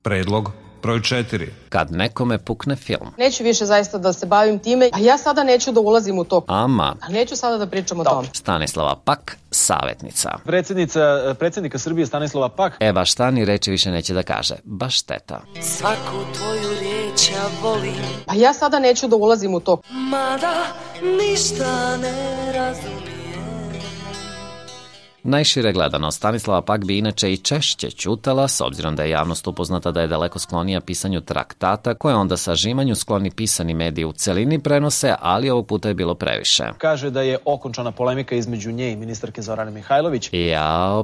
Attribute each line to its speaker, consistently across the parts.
Speaker 1: Predlog broj 4.
Speaker 2: Kad nekome pukne film.
Speaker 3: Neću više zaista da se bavim time, a ja sada neću da ulazim u to.
Speaker 2: Ama.
Speaker 3: A neću sada da pričam o tome.
Speaker 2: Stanislava Pak, savjetnica.
Speaker 4: Predsjednika Srbije Stanislava Pak.
Speaker 2: Baš šta ni reči više neće da kaže. Baš šteta.
Speaker 5: Svaku tvoju riječ ja volim.
Speaker 3: A ja sada neću da ulazim u to.
Speaker 5: Mada ništa ne razumijem.
Speaker 2: Najšire gledano, Stanislava Pak bi inače i češće ćutala, s obzirom da je javnost upoznata da je daleko sklonija pisanju traktata, koje onda sažimanju skloni pisani mediji u celini prenose, ali ovog puta je bilo previše.
Speaker 4: Kaže da je okončana polemika između nje i ministarke Zorane Mihajlović.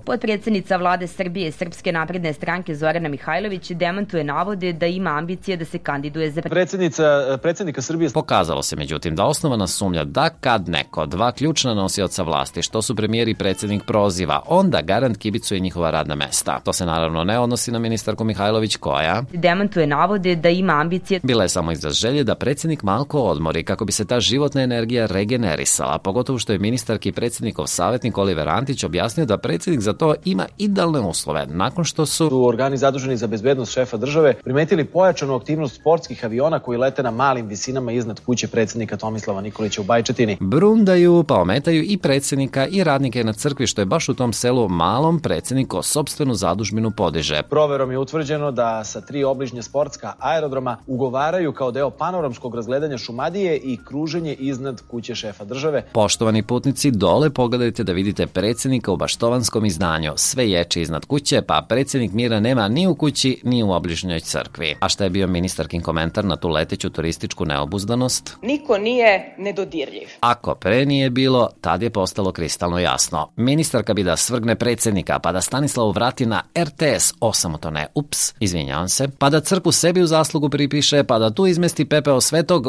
Speaker 6: Potpredsjednica vlade Srbije Srpske napredne stranke Zorana Mihajlović demantuje navode da ima ambicije da se kandiduje za
Speaker 4: predsjednika Srbije.
Speaker 2: Pokazalo se međutim da osnovana sumnja da kad neko, dva ključna nosioca vlasti, što su premijer i predsjednik proziva, onda garant kibicuje njihova radna mesta. To se naravno ne odnosi na ministarku Mihajlović koja
Speaker 6: demantuje navode da ima ambicije.
Speaker 2: Bila je samo izraz želje da predsjednik malko odmori kako bi se ta životna energija regenerisala, pogotovo što je ministarki predsjednikov savjetnik Oliver Antić objasnio da predsjednik za to ima idealne uslove, nakon što su
Speaker 4: organi zaduženi za bezbednost šefa države primetili pojačanu aktivnost sportskih aviona koji lete na malim visinama iznad kuće predsjednika Tomislava Nikolića u Bajčetini.
Speaker 2: Brundaju pa ometaju i predsjednika i radnike na crkvi, što je baš u tom selu malom predsjednik o sopstvenu zadužbinu podiže.
Speaker 4: Proverom je utvrđeno da sa 3 obližnje sportska aerodroma ugovaraju kao deo panoramskog razgledanja Šumadije i kruženje iznad kuće šefa države.
Speaker 2: Poštovani putnici, dole pogledajte da vidite predsjednika u baštovanskom izdanju. Sve ječe iznad kuće, pa predsjednik mira nema ni u kući, ni u obližnjoj crkvi. A šta je bio ministarkin komentar na tu leteću turističku neobuzdanost?
Speaker 7: Niko nije nedodirljiv.
Speaker 2: Ako pre nije bilo, tad je postalo kristalno jasno. Ministarka bi da svrgne predsjednika, pa da Stanislavu vrati na RTS, osamotone, izvinjavam se, pa da crkvu sebi u zaslugu pripiše, pa da tu izmesti pepeo svetog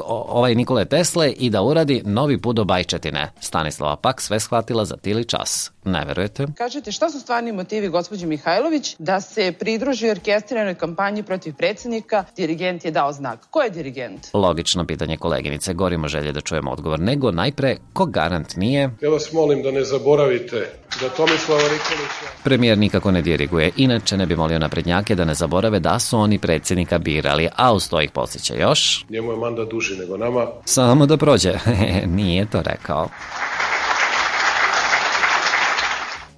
Speaker 2: Nikole Tesle i da uradi novi put do Bajčetine. Stanislava Pak sve shvatila za tili čas. Ne verujete?
Speaker 7: Kažete, šta su stvarni motivi gospođe Mihajlović da se pridruži orkestriranoj kampanji protiv predsjednika? Dirigent je dao znak. Ko je dirigent?
Speaker 2: Logično pitanje koleginice, gorimo želje da čujemo odgovor, nego najpre, ko garant nije?
Speaker 8: Ja vas molim da ne zaboravite da Tomislava Nikolića...
Speaker 2: Premijer nikako ne diriguje, inače ne bi molio naprednjake da ne zaborave da su oni predsjednika birali, a uz to ih podsjeća još.
Speaker 8: Njemu je mandat duži nego nama.
Speaker 2: Samo da prođe, nije to rekao.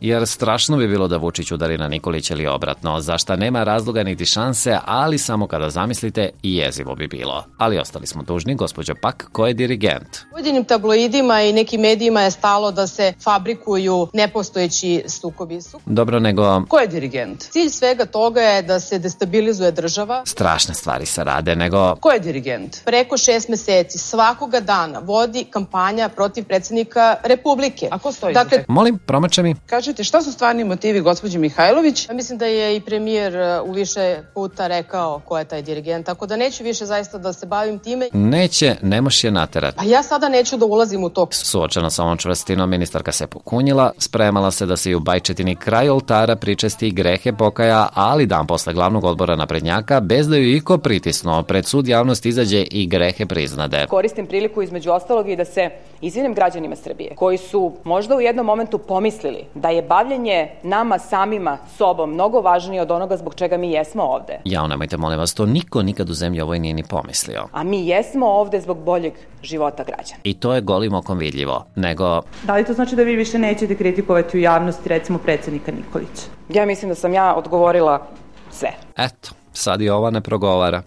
Speaker 2: Jer strašno bi bilo da Vučić udari na Nikolića ili obratno, za šta nema razloga niti šanse, ali samo kada zamislite i jezivo bi bilo. Ali ostali smo dužni, gospođo Pak, ko je dirigent?
Speaker 3: Pojedinim tabloidima i nekim medijima je stalo da se fabrikuju nepostojeći sukobi.
Speaker 2: Dobro, nego...
Speaker 3: Ko je dirigent? Cilj svega toga je da se destabilizuje država.
Speaker 2: Strašne stvari se rade, nego...
Speaker 3: Ko je dirigent? Preko 6 meseci svakoga dana vodi kampanja protiv predsjednika Republike. A ko stoji?
Speaker 2: Dakle, molim, promače mi.
Speaker 7: Kažete, šta su stvarni motivi gospođe Mihajlović?
Speaker 3: Ja mislim da je i premijer u više puta rekao ko je taj dirigent, tako da neću više zaista da se bavim time.
Speaker 2: Neće, ne moš je naterati.
Speaker 3: A ja sada neću da ulazim u to.
Speaker 2: Suočena sa ovom čvrstinom, ministarka se pokunjila, spremala se da se i u Bajčetini kraj oltara pričesti i grehe pokaja, ali dan posle glavnog odbora naprednjaka, bez da ju iko pritisnuo, pred sud javnost izađe i grehe priznade.
Speaker 9: Koristim priliku između ostalog i da se izvinem građanima Srbije, koji su možda u jednom momentu pomislili da je bavljenje nama samima sobom mnogo važnije od onoga zbog čega mi jesmo ovde.
Speaker 2: Jao, nemojte, molim vas, to niko nikad u zemlji ovoj nije ni pomislio.
Speaker 9: A mi jesmo ovde zbog boljeg života građana.
Speaker 2: I to je golim okom vidljivo, nego...
Speaker 10: Da li to znači da vi više nećete kritikovati u javnosti, recimo, predsjednika Nikolića?
Speaker 9: Ja mislim da sam ja odgovorila sve.
Speaker 2: Eto, sad i ova ne progovara.